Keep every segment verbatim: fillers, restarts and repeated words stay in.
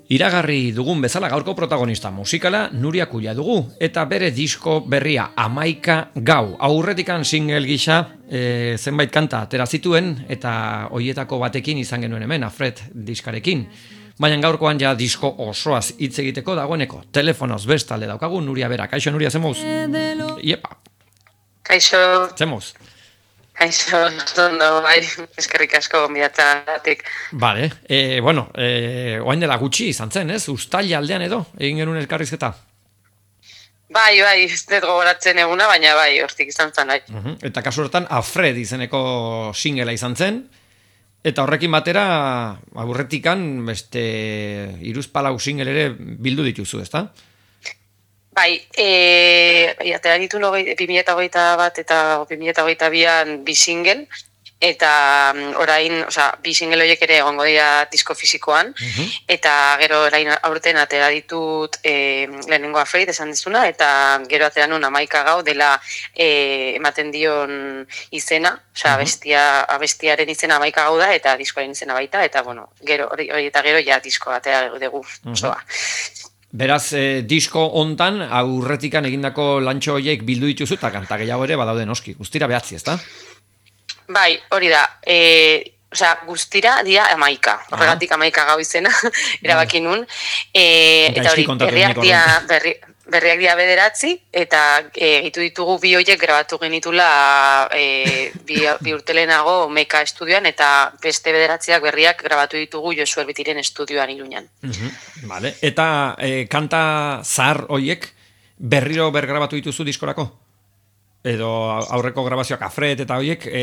Iragarri dugun bezala gaurko protagonista musikala Nuria Kuia dugu, eta bere disko berria Hamaika Gau. Aurretikan single gisa e, zenbait kanta atera zituen, eta hoietako batekin izan genuen hemen, Afred diskarekin. Baina gaurkoan ja disko osoaz hitz egiteko dagoeneko. Telefonoz bestalde daukagu Nuria bera. Kaixo Nuria, zemoz? Iepa. Kaixo. Zemoz? Kaixo, ondo, bai, eskerrik asko gonbidatatik. Bale, e, bueno, e, oain dela gutxi izan zen, ez? Uztaila aldean edo, egin genuen elkarrizketa? Bai, bai, ez dut gogoratzen eguna, baina bai, hortik izan zen, bai. Uh-huh. Eta kasu horretan, Afred izeneko singela izan zen, eta horrekin batera, aurretikan, beste, hiruzpalau single ere bildu dituzu, ezta? Bai, e, atera ditu bi mila hogeita bat eta bi mila hogeita bian bi single, eta orain, osea, bi single horiek ere egongo dira disko fisikoan, uh-huh. Eta gero orain aurten atera ditut e, lehenengo Afraid esan dizuna, eta gero atera nun Hamaika Gau dela e, ematen dion izena, osea, uh-huh. abestia, abestiaren izena Hamaika Gau da, eta diskoaren izena baita, eta bueno, gero hori eta gero ja disko atera dugu, osoa. Uh-huh. Beraz, eh, disko hontan aurretikan egindako lantxo horiek bildu dituzu eta kanta gehiago ere badaude noski. Guztira behatzi, ezta? Bai, hori da. E, osea, guztira dira hamaika. Horregatik Hamaika Gau izena erabaki nun. E, eta hori, berriak dira berri, berriak dira bederatzi, eta egitu ditugu bi horiek grabatu genitula e, bi, bi urtelenago Meka estudioan, eta beste bederatziak berriak grabatu ditugu Josu Erbitiren estudioan Iruñan. Uh-huh. Vale. Eta e, kanta zahar horiek berriro bergrabatu dituzu diskorako? Edo aurreko grabazioak Afred eta horiek e,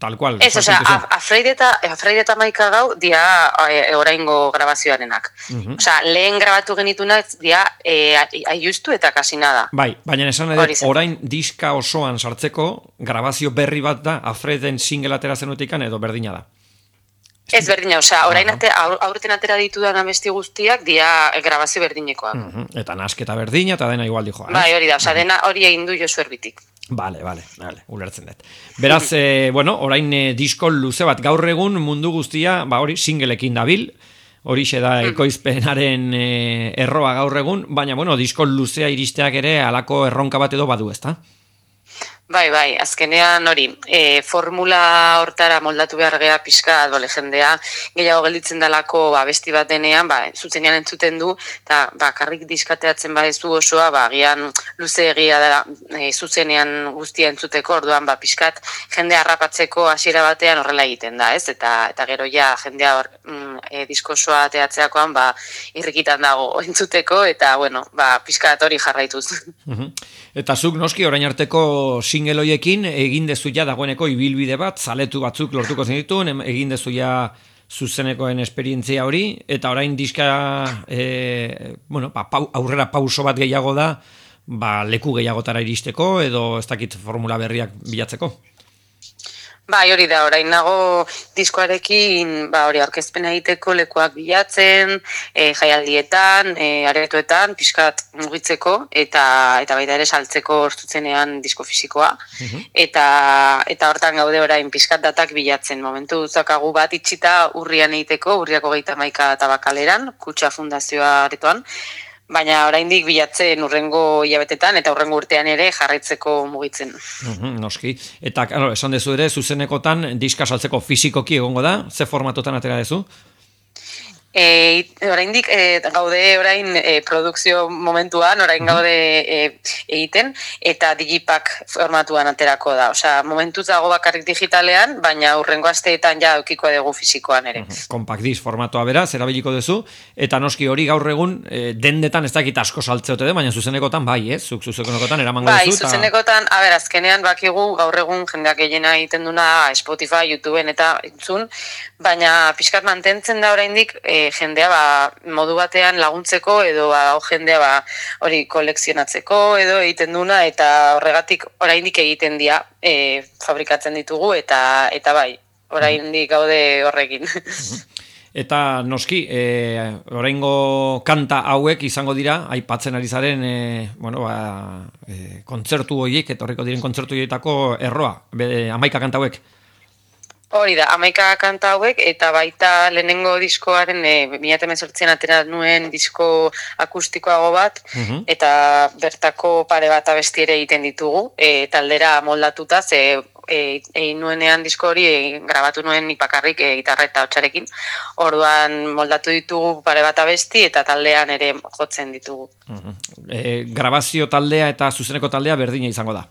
tal cual? Ez, osea, Afred eta, Afred eta Hamaika Gau dia e, oraingo grabazioarenak. Uh-huh. Osea, lehen grabatu genitunak dia e, aiustu eta kasi nada. Bai, baina esan edo, orain diska osoan sartzeko grabazio berri bat da Afreden single atera zenutikan edo berdina da? Ez berdina, osea, orain ate, aurten atera ditudan abesti guztiak dia grabazio berdinekoak. Uh-huh. Eta nasketa berdina eta dena igual dijoa. Bai, hori da, osea, dena hori egin du Josu Erbitik. Bale, bale, bale, ulertzen dut. Beraz, eh, bueno, orain eh, disko luze bat gaur egun mundu guztia, ba hori singleekin dabil, horixe da ekoizpenaren eh, erroa gaur egun, baina, bueno, disko luzea iristeak ere halako erronka bat edo badu, ezta? Bai, bai, azkenean hori, e, formula hortara moldatu behar gea pixka dole jendea, gehiago gelditzen dalako ba, besti bat denean, ba, zuzenean entzuten du, eta ba, karrik diskateatzen badezu osoa, ba, gian luze egia dela e, zuzenean guztia entzuteko, orduan ba, pixkat jendea harrapatzeko hasiera batean horrela egiten da, ez? Eta, eta gero ja jendea hor, mm, e, disko osoa teatzeakoan ba, irrikitan dago entzuteko, eta bueno, ba, pixkat hori jarraituz. Uh-huh. Eta zuk noski orain arteko single hoiekin egin dezu ja dagoeneko ibilbide bat, zaletu batzuk lortuko zenituen, egin dezu ja zuzenekoen esperientzia hori, eta orain diska e, bueno, pa, pau, aurrera pauso bat gehiago da, ba, leku gehiagotara iristeko, edo ez dakit formula berriak bilatzeko. Bai, hori da, orain nago diskoarekin, ba, hori aurkezpena egiteko lekuak bilatzen, e, jaialdietan, e, aretoetan, pixkat mugitzeko, eta eta baita ere saltzeko zuzenean disko fisikoa. Uh-huh. Eta eta hortan gaude orain pixkat datak bilatzen. Momentu zakagu bat itxita urrian egiteko, urriako gehieta maika tabakaleran, Kutxa Fundazioa aretoan, baina oraindik bilatzen urrengo hilabetetan eta urrengo urtean ere jarraitzeko mugitzen. Uhum, noski. Eta, claro, esan dezu ere, zuzenekotan diska saltzeko fisikoki egongo da? Ze formatotan atera dezu? E, oraindik e, gaude orain e, produkzio momentuan, orain gaude e, egiten, eta digipak formatuan aterako da. Osea, momentuz dago bakarrik digitalean, baina urrengo asteetan ja eukiko dugu fisikoan ere. Uh-huh. Compact disc formatoa beraz, erabiliko duzu, eta noski hori gaur egun e, dendetan ez dakit asko saltzeote de, baina zuzenekotan bai, ez? Zuk zuzenekotan eramango bai, duzu. Bai, zuzenekotan, ta... a ber, azkenean bakigu gaur egun jendeak gehiena egiten duna Spotify, YouTubeen eta entzun, baina pixkat mantentzen da oraindik e, jendea ba, modu batean laguntzeko edo ba, jendea ba, hori kolekzionatzeko edo egiten duna, eta horregatik oraindik egiten dira e, fabrikatzen ditugu, eta eta bai, oraindik gaude horrekin. Eta noski, e, oraingo kanta hauek izango dira, aipatzen ari zaren, e, bueno, ba, e, kontzertu horiek, etorriko diren kontzertu horietako erroa, be, hamaika kanta hauek. Hori da, hamaika kanta hauek, eta baita lehenengo diskoaren, e, bi mila hemezortzian atera nuen disko akustikoago bat, Mhm. eta bertako pare bat abesti ere egiten ditugu, e, taldera moldatuta, ze e, egin nuenean disko hori e, grabatu nuen ipakarrik e, gitarra eta hotxarekin, orduan moldatu ditugu pare bat abesti, eta taldean ere jotzen ditugu. Mhm. E, grabazio taldea eta zuzeneko taldea berdina izango da.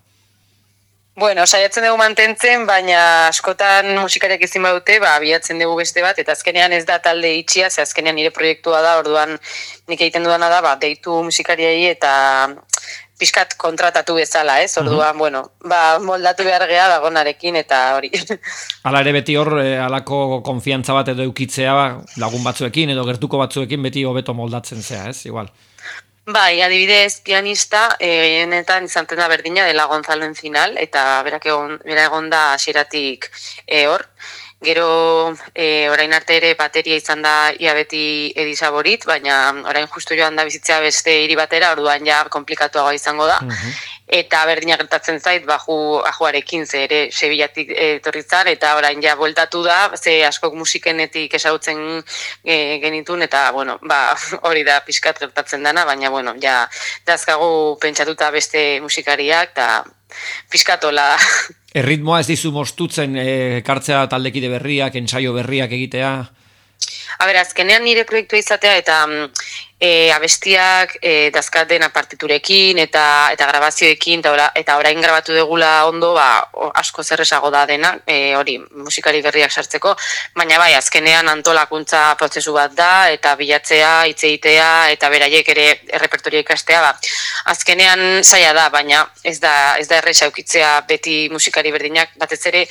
Bueno, saiatzen dugu mantentzen, baina askotan musikariak ezin badute, ba, bilatzen dugu beste bat, eta azkenean ez da talde itxia, ze azkenean nire proiektua da, orduan nik egiten dudana da, ba, deitu musikariei eta pixkat kontratatu bezala, ez? Orduan, uh-huh. bueno, ba, moldatu behar geha dagonarekin eta hori. Hala ere beti hor, eh, alako konfiantza bat edo eukitzea lagun batzuekin edo gertuko batzuekin beti hobeto moldatzen zea, ez? Igual. Bai, adibidez, pianista, gehienetan izan da berdina dela Gonzalo Encinal, eta berak egon, bera egon da hasieratik e, hor. Gero, e, orain arte ere bateria izan da ia beti Edisaborit, baina orain justu joan da bizitzea beste hiri batera, orduan ja komplikatuagoa izango da. Uh-huh. Eta berdina gertatzen zait, baju ajuarekin, ze ere Sevillatik etorritzan, eta orain ja bueltatu da, ze askok musikenetik esautzen e, genitun, eta bueno, ba, hori da pixkat gertatzen dana, baina bueno, ja dazkagu pentsatuta beste musikariak, eta pixkatola. Erritmoa ez dizu mostutzen e, kartzea taldekide berriak, ensaio berriak egitea? A ber, azkenean nire proiektua izatea eta e, abestiak e, dazkaten partiturekin eta eta grabazioekin eta, ora, eta orain grabatu degula ondo, ba, asko zerresago da dena, e, hori, musikari berriak sartzeko, baina bai, azkenean antolakuntza prozesu bat da, eta bilatzea, hitz egitea, eta beraiek ere errepertoria ikastea, ba, azkenean zaila da, baina ez da, ez da erresa eukitzea beti musikari berdinak, batez ere,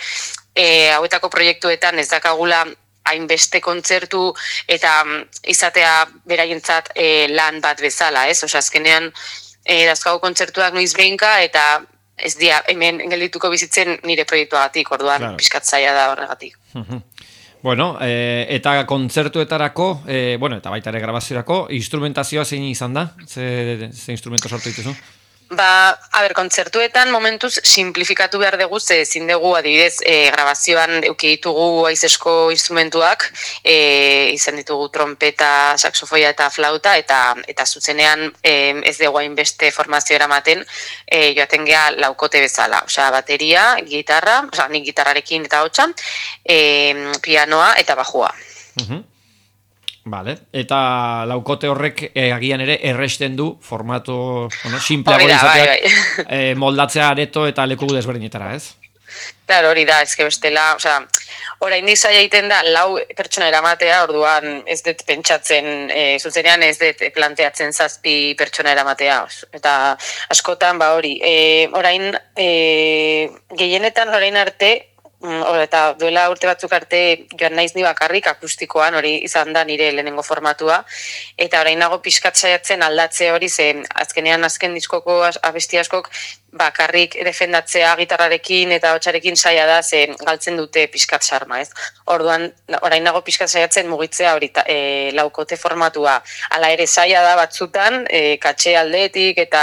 e, hauetako proiektuetan ez dakagula hainbeste kontzertu eta izatea beraientzat e, lan bat bezala, ez? Osa, azkenean e, dazkago kontzertuak noiz behinka eta ez dia hemen geldituko bizitzen nire proiektuagatik, orduan claro. Pixkat zaila da horregatik. Bueno, e, eta kontzertuetarako, e, bueno, eta baita ere grabaziorako, instrumentazioa zein izan da? Ze, ze instrumento sortu dituzu? Ba, a ber, kontzertuetan momentuz simplifikatu behar dugu, ze ezin dugu adibidez e, grabazioan euki ditugu aizesko instrumentuak, e, izan ditugu trompeta, saxofoia eta flauta, eta eta zuzenean e, ez dugu hainbeste formazio eramaten e, joaten geha laukote bezala. Osea, bateria, gitarra, osea, nik gitarrarekin eta hotxan, e, pianoa eta bajua. Uh-huh. Vale. Eta laukote horrek eh, agian ere erresten du formato bueno, simpleago izateak bai, bai. eh, moldatzea areto eta leku desberdinetara, ez? Claro, hori da, eske bestela, osea, orain zaila egiten da lau pertsona eramatea, orduan ez dut pentsatzen, e, zuzenean ez dut planteatzen zazpi pertsona eramatea, eta askotan ba hori, e, orain e, gehienetan orain arte, eta duela urte batzuk arte joan naiz ni bakarrik akustikoan, hori izan da nire lehenengo formatua, eta orain nago pixkat saiatzen aldatze hori, zen azkenean azken diskoko abesti askok bakarrik defendatzea gitarrarekin eta hotxarekin saia da, zen galtzen dute pixkat sarma, ez? Orduan, orain nago pixkat saiatzen mugitzea hori e, laukote formatua, hala ere saia da batzutan, e, katxe aldetik eta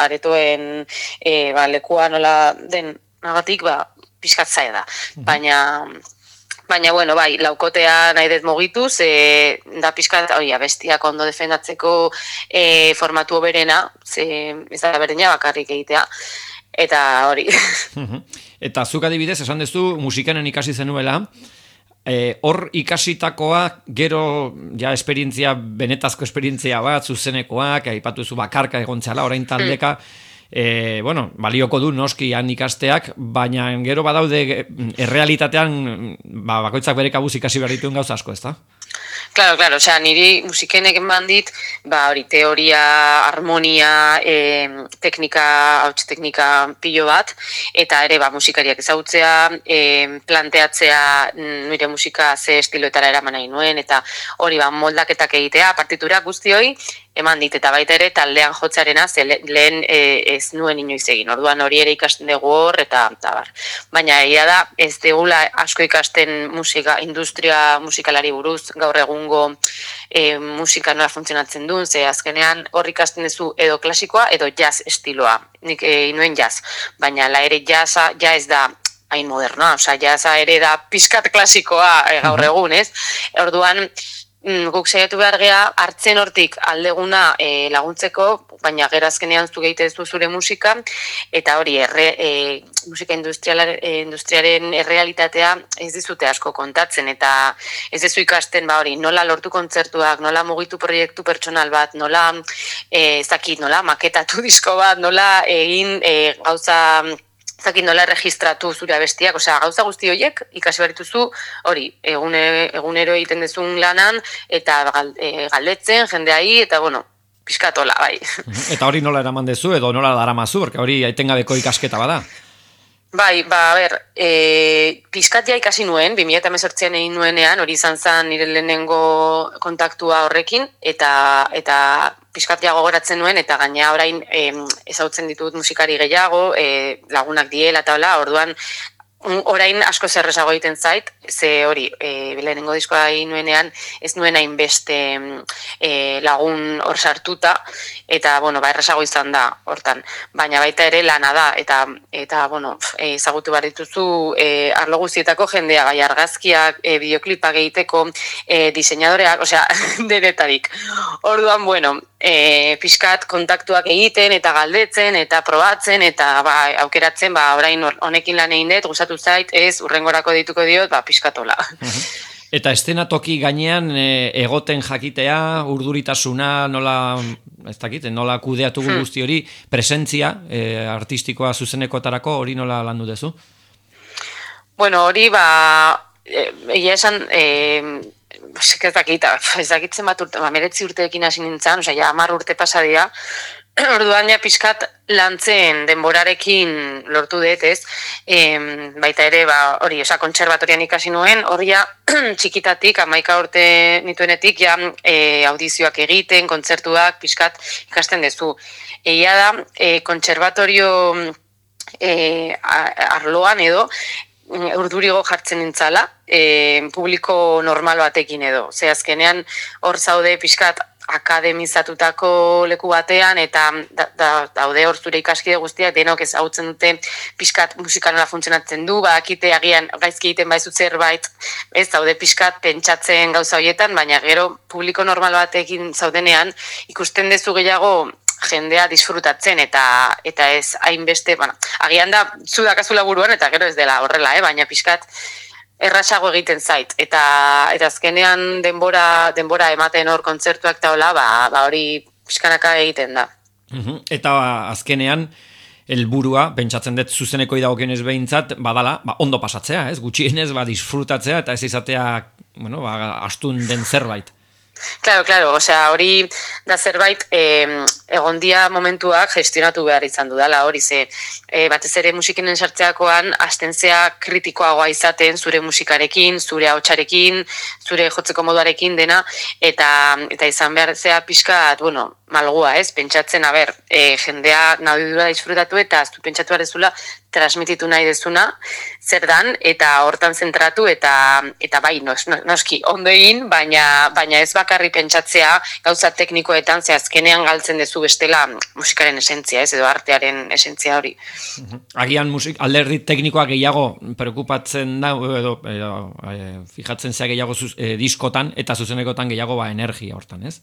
aretoen e, ba, lekua nola den nagatik, ba, pixkat zaila da, baina, baina, bueno, bai, laukotea nahi dut mogituz, e, da pixkat, hori, abestiak ondo defendatzeko e, formatu berena, ze ez da berdina bakarrik egitea, eta hori. Eta zuk adibidez, esan dezu, musikanen ikasi zenuela, e, hor ikasitakoa, gero, ja, esperientzia, benetazko esperientzia bat, zuzenekoak, aipatu zu bakarka egontzala, orain taldeka, E, bueno, balioko du noski han ikasteak, baina gero badaude errealitatean ba, bakoitzak bere kabuz ikasi behar dituen gauza asko, ez da? Claro, claro, osea, niri musikenek eman dit, ba, hori, teoria, harmonia, e, teknika, hauts teknika pilo bat, eta ere, ba, musikariak ezagutzea, e, planteatzea nire musika ze estiloetara eraman nahi nuen, eta hori, ba, moldaketak egitea, partitura guzti hori, eman dit, eta baita ere taldean jotzarena, ze lehen e, ez nuen inoiz egin, orduan hori ere ikasten dugu hor, eta, eta bar. Baina egia da, ez degula asko ikasten musika, industria musikalari buruz, gaur egungo e, musika nola funtzionatzen duen, ze azkenean hor ikasten duzu edo klasikoa edo jazz estiloa, nik e, nuen jazz, baina la ere jazza, ja ez da hain modernoa, osea, jaza ere da pizkat klasikoa e, gaur egun, ez? Orduan, guk saiatu behar gea, hartzen hortik aldeguna e, laguntzeko, baina gerazkenean zu geite zu zure musika, eta hori, erre, e, musika industriaren errealitatea ez dizute asko kontatzen, eta ez dizu ikasten, ba hori, nola lortu kontzertuak, nola mugitu proiektu pertsonal bat, nola, e, ez dakit, nola maketatu disko bat, nola egin e, gauza... Zakin nola registratu zure abestiak, osea, gauza guzti horiek ikasi behar dituzu, hori, egune, egunero egiten dezun lanan, eta galdetzen, jendeai, eta bueno, pizkatola, bai. Eta hori nola eraman dezu, edo nola daramazu, porque hori aitengabeko ikasketa bada. Bai, ba, a ber, e, pizkat ja ikasi nuen, bi mila hemezortzian egin nuenean, hori izan zen nire lehenengo kontaktua horrekin, eta eta pizkat ja gogoratzen nuen, eta gaina orain e, ezautzen ditut musikari gehiago, e, lagunak diela eta hola, orduan orain asko zerrezago egiten zait, ze hori, e, lehenengo diskoa egin nuenean, ez nuen hainbeste e, lagun hor sartuta, eta, bueno, ba, errezago izan da, hortan. Baina baita ere lana da, eta, eta bueno, ezagutu behar dituzu e, arlo guztietako jendea, bai argazkiak, e, bideoklipak egiteko, e, diseinadoreak, osea, denetarik. Orduan, bueno, e, pixkat kontaktuak egiten, eta galdetzen, eta probatzen, eta ba, aukeratzen, ba, orain honekin lan egin dut, gustatu zait, ez, urrengorako dituko diot, ba, pixkatola. Eta eszenatoki gainean e, egoten jakitea, urduritasuna, nola, ez dakit, nola kudeatu hmm. guzti hori, presentzia e, artistikoa zuzenekotarako, hori nola landu dezu? Bueno, hori, ba, egia esan, e, ez dakit, ez dakitzen bat urte, ba, meretzi urteekin hasi nintzen, osea, ja, hamar urte pasadia, orduan ja pixkat lantzen denborarekin lortu dut, ez? E, baita ere, ba, hori, osa, kontserbatorian ikasi nuen, hori ja, txikitatik, hamaika urte nituenetik, ja, e, audizioak egiten, kontzertuak, pixkat ikasten dezu. Egia da, e, kontserbatorio e, arloan edo, urdurigo jartzen nintzala, e, publiko normal batekin edo. Ze azkenean, hor zaude pixkat, akademizatutako leku batean, eta da, da, daude hor zure ikaskide guztiak denok ezagutzen dute pixkat musika nola funtzionatzen du, bakite agian gaizki egiten baizu zerbait, ez daude pixkat pentsatzen gauza horietan, baina gero publiko normal batekin zaudenean ikusten dezu gehiago jendea disfrutatzen eta eta ez hainbeste, bueno, agian da zu dakazula buruan eta gero ez dela horrela, eh, baina pixkat errazago egiten zait, eta eta azkenean denbora denbora ematen hor kontzertuak eta hola, ba, ba hori pixkanaka egiten da. Uhum. Eta azkenean helburua, pentsatzen dut zuzeneko idagokionez behintzat, badala, ba, ondo pasatzea, ez? Gutxienez, ba, disfrutatzea eta ez izatea, bueno, ba, astun den zerbait. Claro, claro, osea, hori da zerbait eh, egon dia momentuak gestionatu behar izan dudala, hori ze eh, batez ere musikinen sartzeakoan astentzea kritikoagoa izaten zure musikarekin, zure ahotsarekin, zure jotzeko moduarekin dena, eta eta izan behar zea pixkat, bueno, malgua, ez? Pentsatzen, a ber, e, jendea nahidura disfrutatu eta aztu pentsatu behar dezula transmititu nahi dezuna, zer dan, eta hortan zentratu, eta eta bai, nos, noski, ondo egin, baina, baina ez bakarri pentsatzea gauza teknikoetan, ze azkenean galtzen dezu bestela musikaren esentzia, ez, edo artearen esentzia hori. Agian musik, alderdi teknikoa gehiago preokupatzen da, edo, edo e, fijatzen zea gehiago zuz, e, diskotan, eta zuzenekotan gehiago ba energia hortan, ez?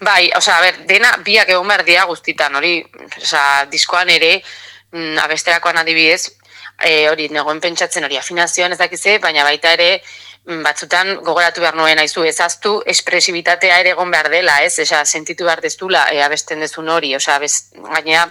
Bai, osea, a ber, dena biak egon behar dira guztitan, hori, osea, diskoan ere, mm, abesterakoan adibidez, e, hori, negoen pentsatzen hori afinazioan ez dakize, baina baita ere, batzutan gogoratu behar nuen aizu, ezaztu espresibitatea ere egon behar dela, ez? Esa, sentitu behar dezula e, abesten dezun hori, osea, gaina,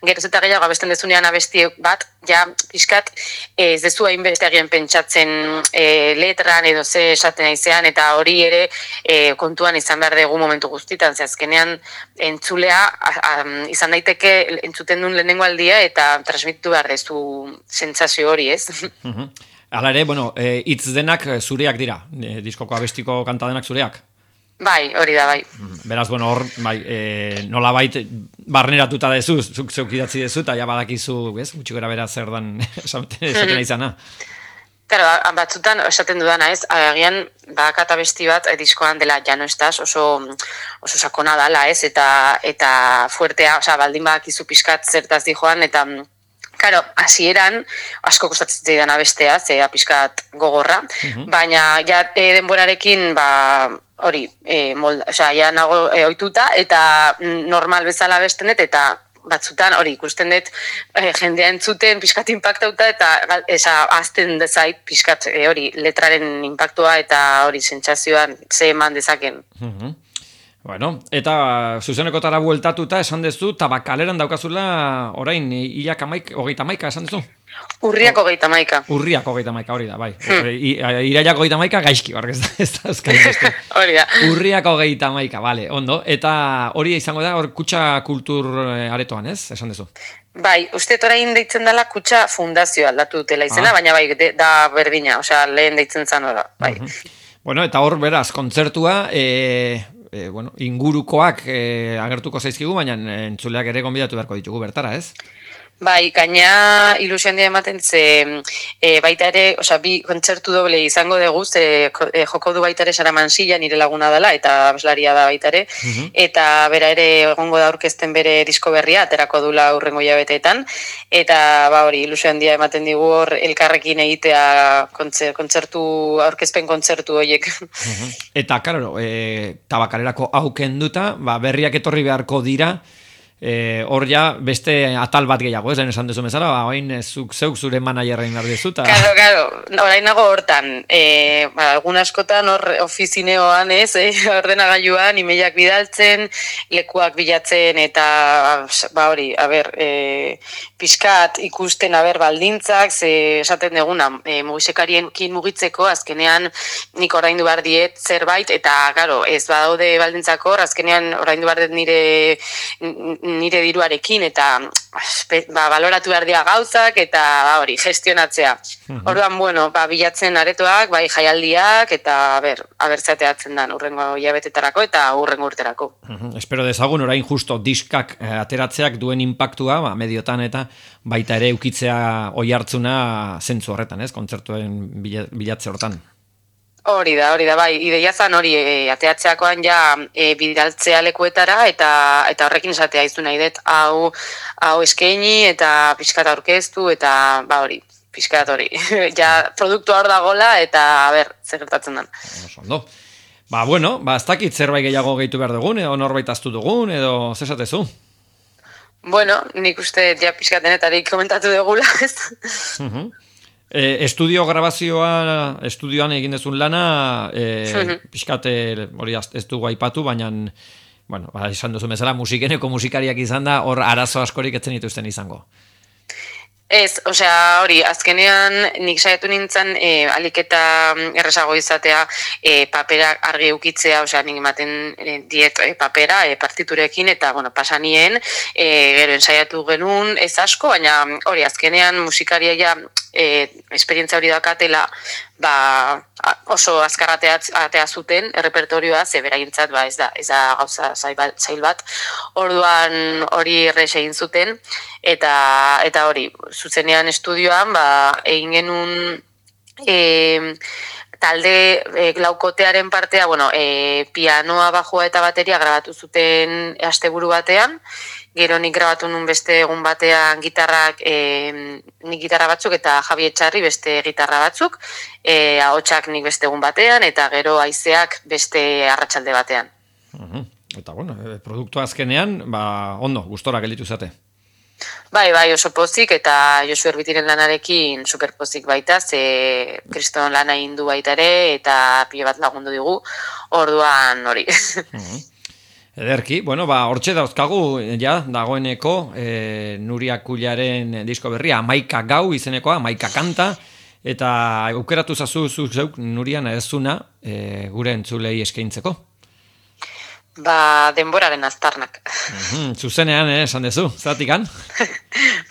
geroz eta gehiago abesten dezunean abesti bat, ja, pixkat, ez dezu hainbeste egin pentsatzen e, letran edo ze esaten aizean, eta hori ere e, kontuan izan behar dugu momentu guztitan, ze azkenean entzulea a, a, izan daiteke entzuten duen lehenengo aldia eta transmititu behar dezu sentsazio hori, ez? Mhm. Hala ere, bueno, hitz e, denak zureak dira, e, diskoko abestiko kanta denak zureak. Bai, hori da, bai. Beraz, bueno, hor, bai, e, nola bait, barneratuta dezu, zuk zeuk idatzi dezu, eta ja badakizu, ez, gutxi gara bera zer dan esaten izana. Claro, batzutan esaten dudana, ez, agian bakat abesti bat diskoan dela ja no estás, oso, oso sakona dala, ez, eta, eta fuertea, osea, baldin badakizu pixkat zertaz di joan, eta Karo, hasieran asko kostatzen zidan abestea, zea pixkat gogorra, uh-huh. baina ja e, denborarekin, ba, hori, e, molda, osea, ja nago e, ohituta, eta normal bezala bestenet, eta batzutan hori ikusten dut e, jendea entzuten pixkat inpaktauta, eta esa azten dezait pixkat e, hori letraren impactua eta hori sentsazioan ze eman dezaken. Uh-huh. Bueno, eta zuzenekotara bueltatuta esan dezu, tabakaleran daukazula orain hilak amaik, hogeita maika esan dezu? Urriak hogeita maika. Urriak hogeita maika, hori da, bai. Hmm. Iraiak hogeita maika gaizki, bark ez da, ez da euskal hori da. Urriak hogeita maika, bale, ondo. Eta hori izango da, hor kutxa kultur aretoan, ez? Esan dezu? Bai, uste orain deitzen dela kutxa fundazioa aldatu dutela izena, ah. baina bai, de, da berdina, osea, lehen deitzen zan ora, bai. Uh-huh. Bueno, eta hor beraz, kontzertua, e, e, bueno, ingurukoak e, agertuko zaizkigu, baina entzuleak ere gonbidatu beharko ditugu bertara, ez? Bai, gaina ilusioan dira ematen ze e, baita ere, osea, bi kontzertu doble izango dugu, ze e, joko du baita ere Sara Mansilla nire laguna dela, eta abeslaria da baita ere, uh-huh. eta bera ere egongo da aurkezten bere disko berria, aterako dula hurrengo hilabeteetan, eta ba hori, ilusioan dira ematen digu hor elkarrekin egitea kontzertu, aurkezpen kontzertu horiek. Uh-huh. Eta, karo, e, tabakalerako aukenduta, ba, berriak etorri beharko dira, Eh, hor ja beste atal bat gehiago, ez lehen esan dezu bezala, ba, oin zuk zeuk zure manajerrein behar dezuta. Karo, karo, orain nago hortan, e, ba, algun askotan hor ofizineoan, ez, eh, ordenagailuan, imeiak bidaltzen, lekuak bilatzen, eta, ba hori, a ber, e, pixkat ikusten, a ber, baldintzak, ze esaten deguna, e, mugisekariekin mugitzeko, azkenean nik oraindu behar diet zerbait, eta, karo, ez badaude baldintzako, azkenean oraindu behar diet nire nire diruarekin eta ba, baloratu behar dira gauzak eta ba, hori, gestionatzea. Uh-huh. Orduan, bueno, ba, bilatzen aretoak, bai jaialdiak eta ber, abertzateatzen dan urrengo hilabetetarako eta urrengo urterako. Uh-huh. Espero dezagun orain justo diskak eh, ateratzeak duen impactua, ba, mediotan eta baita ere ukitzea oi hartzuna zentzu horretan, ez? Kontzertuen bilatze hortan. Hori da, hori da, bai, ideia zan hori e, ateatzeakoan ja e, bidaltzea lekuetara eta eta horrekin esatea izu nahi dut, hau, hau eskaini eta pixkat aurkeztu eta ba hori, pixkat hori, ja produktua hor dagola eta a ber, zer gertatzen den. Ondo. Ba, bueno, ba, ez dakit zerbait gehiago gehitu behar dugun, edo norbait aztu dugun, edo zesatezu? Bueno, nik uste ja pixkat denetarik komentatu dugula, ez? Uh-huh. E, estudio grabazioa, estudioan egin dezun lana, e, uh-huh. pixkate, hori ez dugu aipatu, baina, bueno, ba, izan duzu bezala, musikeneko musikariak izan da, hor arazo askorik etzen dituzten izango. Ez, osea, hori, azkenean nik saiatu nintzen e, alik eta errezago izatea e, papera argi ukitzea, osea, nik ematen e, diet e, papera e, partiturekin eta, bueno, pasanien, e, gero ensaiatu genuen ez asko, baina hori, azkenean musikaria ja e, esperientzia hori dakatela, ba, oso azkar atea zuten errepertorioa, ze beraintzat ba, ez da, ez da gauza zail bat, orduan hori errex egin zuten, eta eta hori, zuzenean estudioan, ba, egin genuen e, talde e, laukotearen partea, bueno, e, pianoa, bajua eta bateria grabatu zuten asteburu batean, gero nik grabatu nun beste egun batean gitarrak, e, nik gitarra batzuk eta Javi Etxarri beste gitarra batzuk, e, ahotsak nik beste egun batean, eta gero haizeak beste arratsalde batean. Uh-huh. Eta bueno, produktu azkenean, ba, ondo, gustora gelditu zate. Bai, bai, oso pozik, eta Josu Erbitiren lanarekin superpozik baita, ze kriston lana indu baita ere, eta pile bat lagundu digu, orduan hori. Uh-huh. Ederki, bueno, ba, hortxe dauzkagu, ja, dagoeneko, e, Nuria Kullaren disko berria, Amaika Gau izenekoa, Amaika Kanta, eta aukeratu zazu zeuk Nurian ezuna e, gure entzulei eskaintzeko. Ba, denboraren aztarnak. Mm-hmm, zuzenean, eh, esan dezu, zatikan?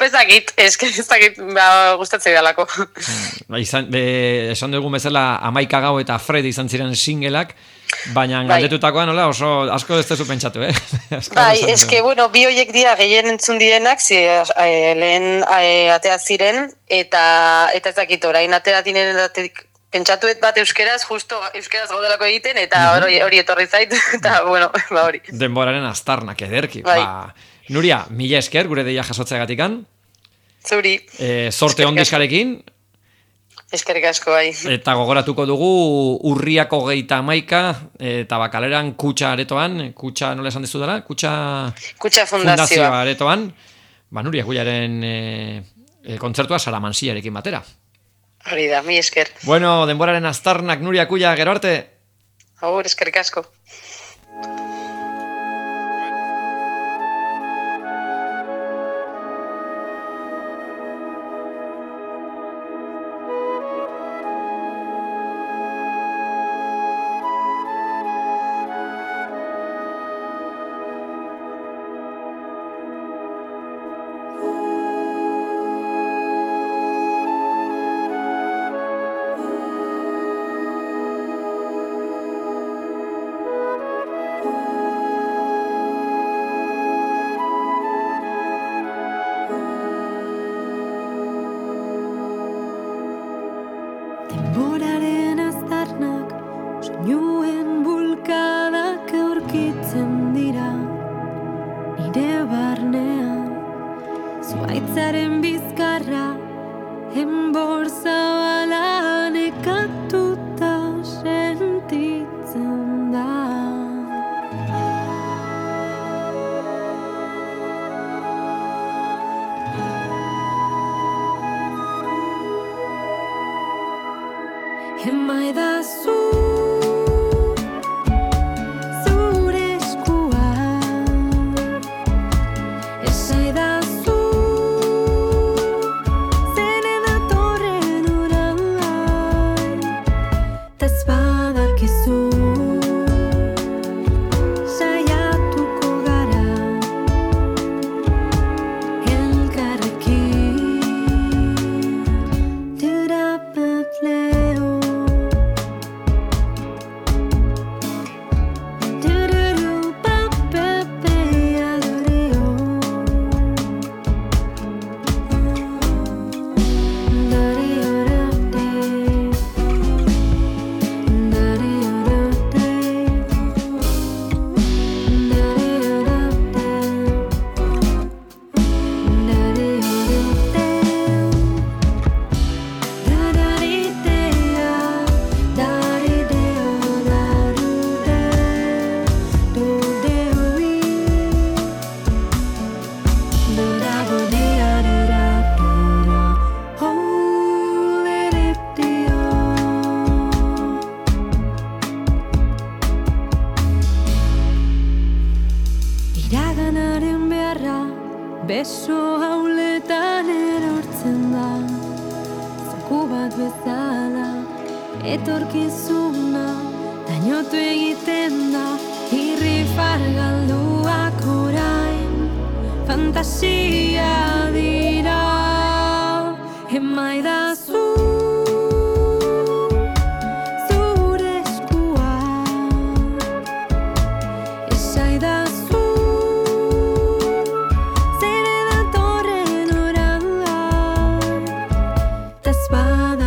Bezakit, eske ezakit, ba, gustatzei dalako. Ba, izan, be, esan dugu bezala Amaika Gau eta Fred izan ziren singelak, baina galdetutakoan nola oso asko ez tezu pentsatu, eh? Bai, eske, bueno, bi hoiek dira gehien entzun direnak, zi, e, lehen e, atea ziren, eta eta ezakit orain atea direnetik pentsatuet bat euskeraz, justo euskeraz gaudelako egiten, eta hori, hori etorri zait, eta, bueno, ba hori. Denboraren aztarnak ederki. Bai. Ba, Nuria, mila esker, gure deia jasotzeagatikan. Zuri. E, sorte on diskarekin. Eskerrik asko bai. Eta gogoratuko dugu urriako geita amaika, eta bakaleran kutsa aretoan, kutsa nola esan dezu dela? Kutsa, kutsa fundazioa. fundazioa aretoan, ba, Nuria Kujaren e, e, kontzertua Salamansiarekin batera. Hori da, mi esker. Bueno, denboraren aztarnak Nuria Kuja, gero arte. Agur, eskerrik asko. That's why